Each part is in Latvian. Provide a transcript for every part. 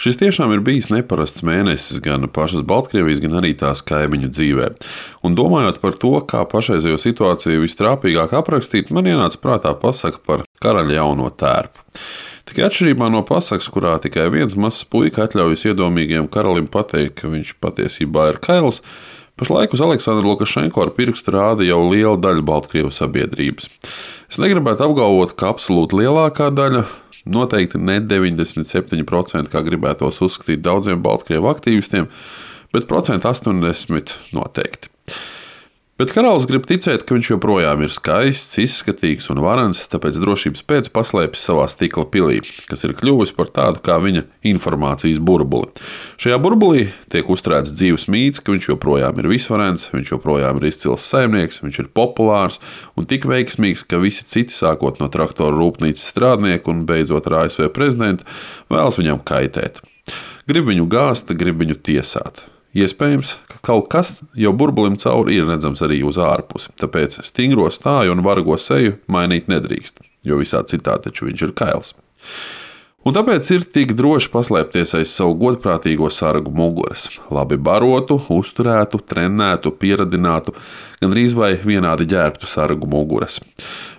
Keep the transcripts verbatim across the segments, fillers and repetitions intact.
Šis tiešām ir bijis neparasts mēnesis gan pašas Baltkrievijas, gan arī tās kaimiņu dzīvē. Un domājot par to, kā pašreizējo situāciju vistrāpīgāk aprakstīt, man ienāca prātā pasaka par karaļa jauno tērpu. Tikai atšķirībā no pasakas, kurā tikai viens mazs puika atļaujas iedomīgiem karalim pateikt, ka viņš patiesībā ir kails, pašlaik uz Aleksandru Lukašenko ar pirkstu rāda jau liela daļa Baltkrievu sabiedrības. Es negribētu apgalvot, ka absolūti lielākā daļa, noteikti ne deviņdesmit septiņi procenti, kā gribētos uzskatīt daudziem Baltkrievu aktīvistiem, bet procentu astoņdesmit noteikti. Bet karalis grib ticēt, ka viņš joprojām ir skaists, izskatīgs un varens, tāpēc drošības pēc paslēpjas savā stikla pilī, kas ir kļuvusi par tādu kā viņa informācijas burbuli. Šajā burbulī tiek uzturēts dzīves mīts, ka viņš joprojām ir visvarens, viņš joprojām ir izcils saimnieks, viņš ir populārs un tik veiksmīgs, ka visi citi, sākot no traktoru rūpnīcas strādnieku un beidzot ar A S V prezidentu, vēlas viņam kaitēt. Grib viņu gāzt, grib viņu tiesāt. Iespējams, ka kaut kas jau burbulim cauri ir redzams arī uz ārpusi, tāpēc stingro stāju un vargo seju mainīt nedrīkst, jo visā citā taču viņš ir kails. Un tāpēc ir tik droši paslēpties aiz savu godprātīgo sargu muguras, labi barotu, uzturētu, trenētu, pieradinātu, gandrīz vai vienādi ģērbtu sargu muguras.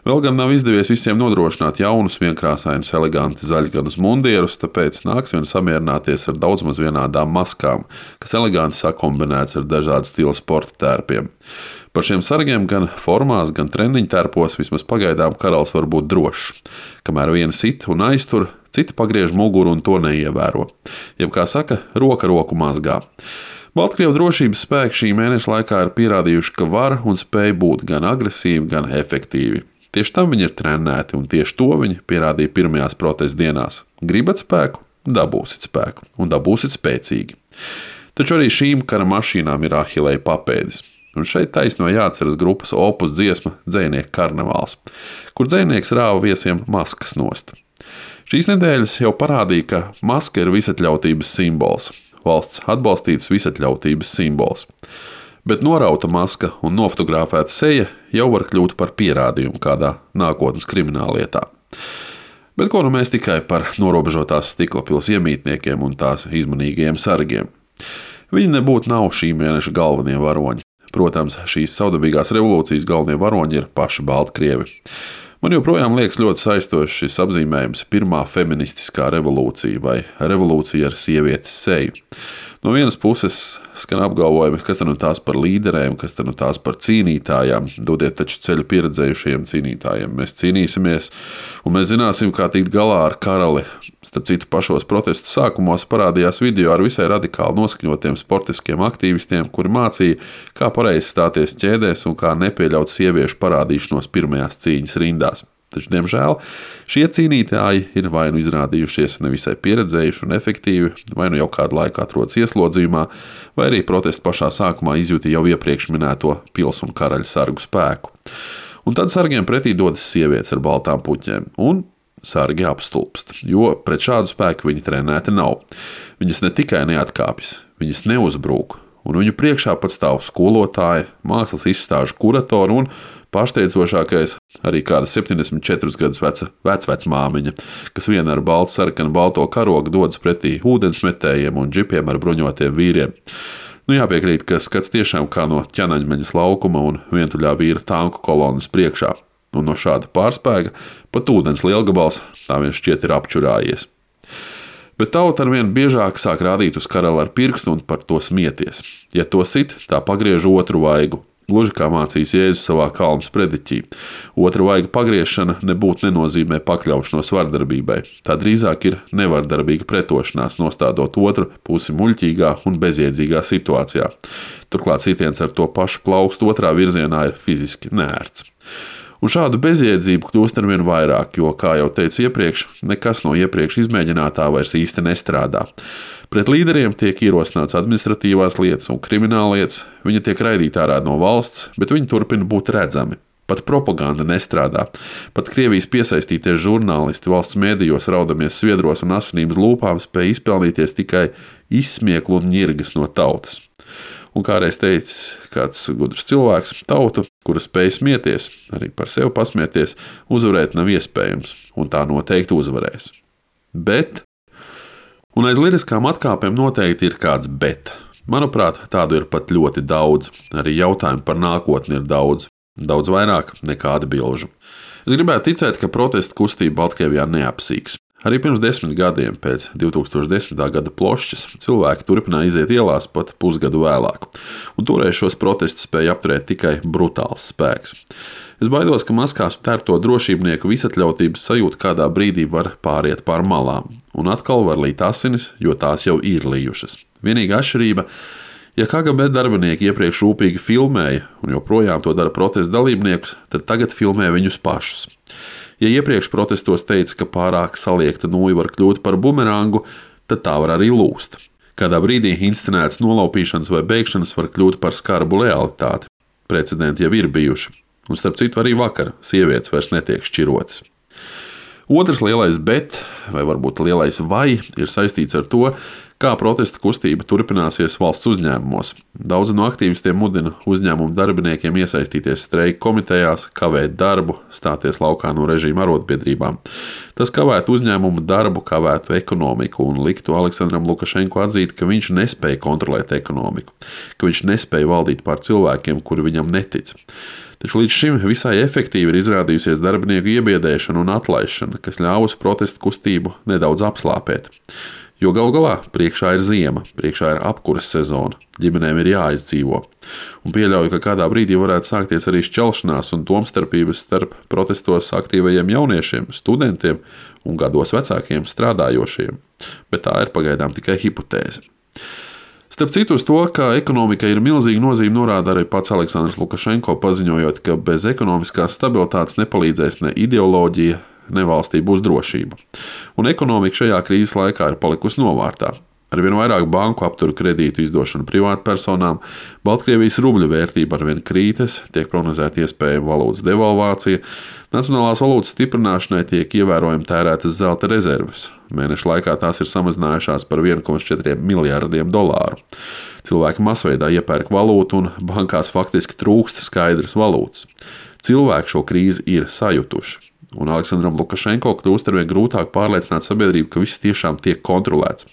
Vēl gan nav izdevies visiem nodrošināt jaunus, vienkrāsainus, eleganti zaļganus mundierus, tāpēc nāks vien samierināties ar daudz maz vienādām maskām, kas eleganti sakombinēts ar dažādu stilu sporta tērpiem. Par šiem sargiem gan formās, gan treniņu tērpos vismaz pagaidām karalis var būt drošs. Kamēr viena sit un aiztur, cita pagriež muguru un to neievēro. Jeb, kā saka, roka roku mazgā. Baltkrievu drošības spēki šī mēneša laikā ir pierādījuši, ka var un spēj būt gan agresīvi, gan efektīvi. Tieši tam viņi ir trenēti, un tieši to viņi pierādīja pirmajās protesta dienās. Gribat spēku, dabūsit spēku, un dabūsit spēcīgi. Taču arī šīm kara mašīnām ir Ahilēja papēdis. Un šeit taisno jāatceras grupas Opus dziesma Dzejnieku karnevāls, kur dzejnieks rāva viesiem maskas nost. Šīs nedēļas jau parādīja, ka maska ir visatļautības simbols, valsts atbalstīts visatļautības simbols. Bet norauta maska un nofotografēta seja jau var kļūt par pierādījumu kādā nākotnes krimināllietā. Bet ko nu mēs tikai par norobežotās stikla pils iemītniekiem un tās izmanīgajiem sargiem? Viņi nebūtu nav šī mēneša galvenie varoņi. Protams, šīs saudabīgās revolūcijas galvenie varoņi ir paši Baltkrievi. Man joprojām liekas ļoti saistošs šis apzīmējums pirmā feministiskā revolūcija vai revolūcija ar sievietes seju. No vienas puses skan apgalvojumi, kas tad nu tās par līderēm, kas tad nu tās par cīnītājām. Dodiet taču ceļu pieredzējušajiem cīnītājiem. Mēs cīnīsimies un mēs zināsim, kā tikt galā ar karali. Starp citu, pašos protestu sākumos parādījās video ar visai radikāli noskaņotiem sportiskiem aktīvistiem, kuri mācīja, kā pareizi stāties ķēdēs un kā nepieļaut sieviešu parādīšanos pirmajās cīņas rindās. Taču, diemžēl, šie cīnītāji ir vai nu izrādījušies nevisai pieredzējuši un efektīvi, vai nu jau kādu laiku atrodas ieslodzījumā, vai arī protestu pašā sākumā izjūta jau iepriekš minēto pils un karaļa sargu spēku. Un tad sargiem pretī dodas sievietes ar baltām puķēm, un sargi apstulpst, jo pret šādu spēku viņi trenēti nav. Viņas ne tikai neatkāpjas, viņas neuzbrūk, un viņu priekšā pat stāv skolotāji, mākslas izstāžu kuratori un pārsteidzošākais arī kāda septiņdesmit četrus gadus veca vecvecmāmiņa, kas viena ar baltu sarkanu balto karogu dodas pretī ūdensmetējiem un džipiem ar bruņotiem vīriem. Nu jāpiekrīt, ka skats tiešām kā no ķenaņmeņas laukuma un vientuļā vīra tanku kolonas priekšā. Un no šāda pārspēka pat ūdens lielgabals tā vien šķiet ir apčurājies. Bet tauta arvien biežāk sāk rādīt uz karali ar pirkstu un par to smieties. Ja to sit, tā pagriež otru vaigu. Gluži kā mācīs Jēzus savā kalna sprediķī. Otra vaiga pagriešana nebūtu nenozīmē pakļaušanos vardarbībai. Tā drīzāk ir nevardarbīga pretošanās, nostādot otru pusi muļķīgā un bezjēdzīgā situācijā. Turklāt sitiens ar to pašu plaukstu otrā virzienā ir fiziski neērts. Un šādu bezjēdzību kļūst arvien vairāk, jo, kā jau teicu iepriekš, nekas no iepriekš izmēģinātā vairs īsti nestrādā. Pret līderiem tiek ierosināts administratīvās lietas un krimināllietas, viņi tiek raidīti ārā no valsts, bet viņi turpina būt redzami. Pat propaganda nestrādā. Pat Krievijas piesaistītie žurnālisti valsts mēdījos raudamies sviedros un asinības lūpām spēj izpelnīties tikai izsmieklu un ņirgas no tautas. Un kādreiz teicis kāds gudrs cilvēks, tautu, kura spēj smieties, arī par sevi pasmieties, uzvarēt nav iespējams, un tā noteikti uzvarēs. Bet Un aiz liriskām atkāpēm noteikti ir kāds bet. Manuprāt, tādu ir pat ļoti daudz. Arī jautājumu par nākotni ir daudz. Daudz vairāk nekā atbilžu. Es gribētu ticēt, ka protesta kustība Baltkrievijā neapsīks. Arī pirms desmit gadiem, pēc divi tūkstoši desmitā gada plošķas, cilvēki turpināja iziet ielās pat pusgadu vēlāk. Un toreiz šos protestus spēja apturēt tikai brutāls spēks. Es baidos, ka maskās tērpto drošībnieku visatļautības sajūta kādā brīdī var pāriet pār malām. Un atkal var līt asinis, jo tās jau ir lījušas. Vienīgā atšķirība, ja K G B darbinieki iepriekš rūpīgi filmēja un joprojām to dara protesta dalībniekus, tad tagad filmē viņus pašus. Ja iepriekš protestos teica, ka pārāk saliekta nūja var kļūt par bumerangu, tad tā var arī lūst. Kādā brīdī inscenētas nolaupīšanas vai bēgšanas var kļūt par skarbu realitāti. Precedenti jau ir bijuši. Un starp citu arī vakar sievietes vairs netiek šķirotas. Otrs lielais bet, vai varbūt lielais vai, ir saistīts ar to, kā protesta kustība turpināsies valsts uzņēmumos. Daudzi no aktīvistiem mudina uzņēmumu darbiniekiem iesaistīties streika komitejās, kavēt darbu, stāties laukā no režīma arotbiedrībām. Tas kavētu uzņēmumu darbu, kavētu ekonomiku un liktu Aleksandram Lukašenko atzīt, ka viņš nespēja kontrolēt ekonomiku, ka viņš nespēja valdīt pār cilvēkiem, kuri viņam netic. Taču līdz šim visai efektīvi ir izrādījusies darbinieku iebiedēšana un atlaišana, kas ļāvusi protesta kustību nedaudz apslāpēt. Jo galu galā priekšā ir ziema, priekšā ir apkuras sezona, ģimenēm ir jāizdzīvo. Un pieļauju, ka kādā brīdī varētu sākties arī šķelšanās un domstarpības starp protestos aktīvajiem jauniešiem, studentiem un gados vecākiem strādājošiem. Bet tā ir pagaidām tikai hipotēze. Starp citu, uz to, ka ekonomikai ir milzīga nozīme, norāda arī pats Aleksandrs Lukašenko, paziņojot, ka bez ekonomiskās stabilitātes nepalīdzēs ne ideoloģija, ne valstī būs drošība. Un ekonomika šajā krīzes laikā ir palikusi novārtā. Arvien vairāk banku aptur kredītu izdošanu privātpersonām, Baltkrievijas rubļa vērtība arvien krītas, tiek prognozēta iespējama valūtas devalvācija, nacionālās valūtas stiprināšanai tiek ievērojami tērētas zelta rezerves. Mēneša laikā tās ir samazinājušās par viens komats četri miljardiem dolāru. Cilvēki masveidā iepērk valūtu un bankās faktiski trūkst skaidras valūtas. Cilvēki šo krīzi ir sajutuši. Un Aleksandram Lukašenko kļūst arvien grūtāk pārliecināt sabiedrību, ka viss tiešām tiek kontrolēts.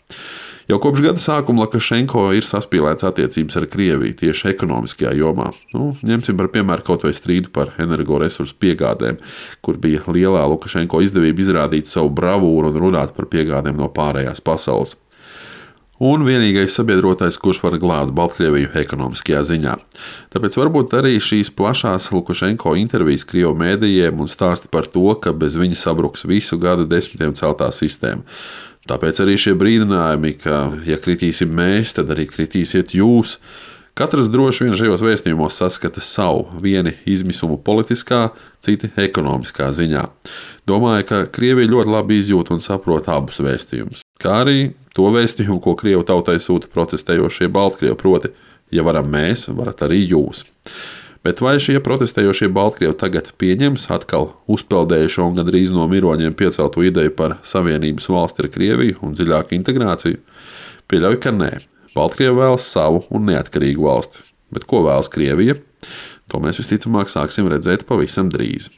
Jau kopš gada sākuma Lukašenko ir saspīlēts attiecības ar Krieviju tieši ekonomiskajā jomā. Nu, ņemsim par piemēru kaut vai strīdu par energoresursu piegādēm, kur bija lielā Lukašenko izdevība izrādīt savu bravūru un runāt par piegādēm no pārējās pasaules. Un vienīgais sabiedrotais, kurš var glābt Baltkrieviju ekonomiskajā ziņā. Tāpēc varbūt arī šīs plašās Lukašenko intervijas Krievu mēdījiem un stāsti par to, ka bez viņa sabruks visu gadu desmitiem celtā sistēma. Tāpēc arī šie brīdinājumi, ka ja kritīsim mēs, tad arī kritīsiet jūs. Katrs droši vien šajos vēstījumos saskata savu, vieni izmisumu politiskā, citi ekonomiskā ziņā. Domāju, ka Krievija ļoti labi izjūt un saprot abus vēstījumus, kā arī to vēstījumu, ko Krievu tautai sūta protestējošie Baltkrievi, proti, ja varam mēs, varat arī jūs. Bet vai šie protestējošie Baltkrievi tagad pieņems atkal uzpeldējušo un gandrīz no miroņiem pieceltu ideju par savienības valsti ar Krieviju un dziļāku integrāciju? Pieļauju, ka nē. Baltkrievi vēlas savu un neatkarīgu valsti. Bet ko vēlas Krievija? To mēs visticamāk sāksim redzēt pavisam drīz.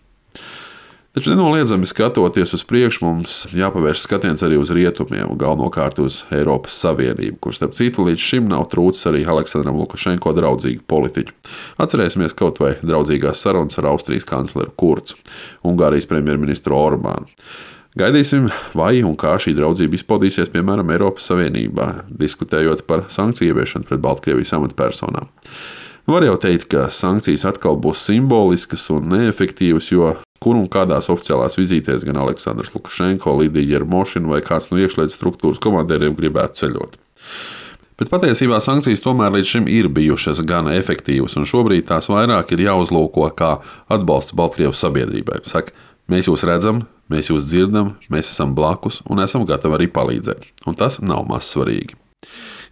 Taču nenoliedzami skatoties uz priekšu, mums jāpavērš skatiens arī uz rietumiem, galvenokārt uz Eiropas Savienību, kur starp citu līdz šim nav trūcis arī Aleksandram Lukašenko draudzīgu politiķu. Atcerēsimies kaut vai draudzīgās sarunas ar Austrijas kancleru Kurzu, Ungārijas premjerministru Orbānu. Gaidīsim, vai un kā šī draudzība izpaudīsies, piemēram, Eiropas Savienībā, diskutējot par sankciju ieviešanu pret Baltkrievijas amatpersonām. Var jau teikt, ka sankcijas atkal būs simboliskas un neefektīvas, jo kur un kādās oficiālās vizītēs gan Aleksandrs Lukašenko, Lidija Jermošina vai kāds no iekšlietu struktūras komandieriem gribētu ceļot. Bet patiesībā sankcijas tomēr līdz šim ir bijušas gan efektīvas, un šobrīd tās vairāk ir jāuzlūko kā atbalsts Baltkrievu sabiedrībai. Saka, mēs jūs redzam, mēs jūs dzirdam, mēs esam blakus un esam gatavi arī palīdzēt. Un tas nav maz svarīgi.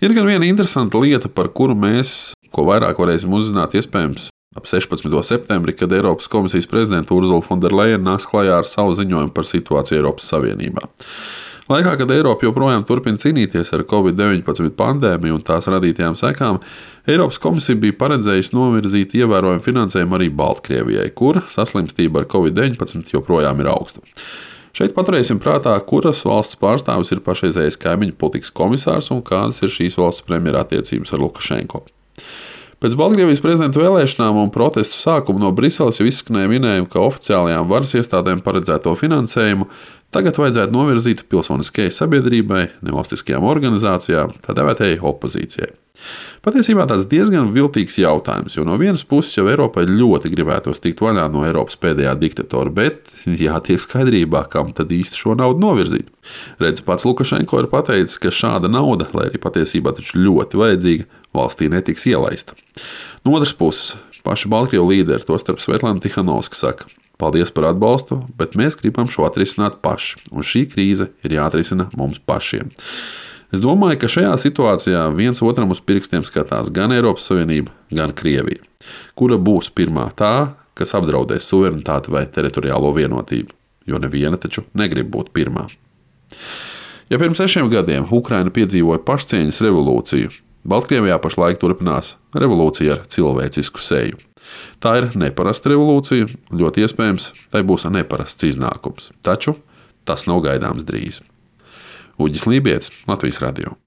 Ir gan viena interesanta lieta, par kuru mēs, ko vairāk varēsim uzzināt iespējams ap sešpadsmito septembri, kad Eiropas komisijas prezidenta Ursula von der Leyen nāks klajā ar savu ziņojumu par situāciju Eiropas Savienībā. Laikā, kad Eiropa joprojām turpina cīnīties ar covid deviņpadsmit pandēmiju un tās radītajām sekām, Eiropas komisija bija paredzējusi novirzīt ievērojumu finansējumu arī Baltkrievijai, kur saslimstība ar covid deviņpadsmit joprojām ir augsta. Šeit paturēsim prātā, kuras valsts pārstāvis ir pašreizējais kaimiņu politikas komisārs un kādas ir šīs valsts premjera attiecības ar Lukašenko. Pēc Baltkrievijas prezidenta vēlēšanām un protestu sākuma no Briseles jau izskanēja minējumi, ka oficiālajām varas iestādēm paredzēto finansējumu tagad vajadzētu novirzīt pilsoniskajai sabiedrībai, nevalstiskajām organizācijām, tā dēvētajai opozīcijai. Patiesībā tas diezgan viltīgs jautājums, jo no vienas puses jau Eiropai ļoti gribētos tikt vaļā no Eiropas pēdējā diktatora, bet jātiek skaidrībā, kam tad īsti šo naudu novirzīt. Redz, pats Lukašenko ir pateicis, ka šāda nauda, lai arī patiesībā taču ļoti vajadzīga, valstī netiks ielaista. No otras puses, paši Baltkrievu līderi, tostarp Svetlana Tihanovska, saka: paldies par atbalstu, bet mēs gribam šo atrisināt paši, un šī krīze ir jāatrisina mums pašiem. Es domāju, ka šajā situācijā viens otram uz pirkstiem skatās gan Eiropas Savienība, gan Krievija, kura būs pirmā tā, kas apdraudēs suverenitāti vai teritoriālo vienotību, jo neviena taču negrib būt pirmā. Ja pirms sešiem gadiem Ukraina piedzīvoja pašcieņas revolūciju, Baltkrievijā pašlaik turpinās revolūcija ar cilvēcisku seju. Tā ir neparasta revolūcija, ļoti iespējams, tai būs neparasts iznākums, taču tas nav gaidāms drīz. Uģis Lībietis, Latvijas radio.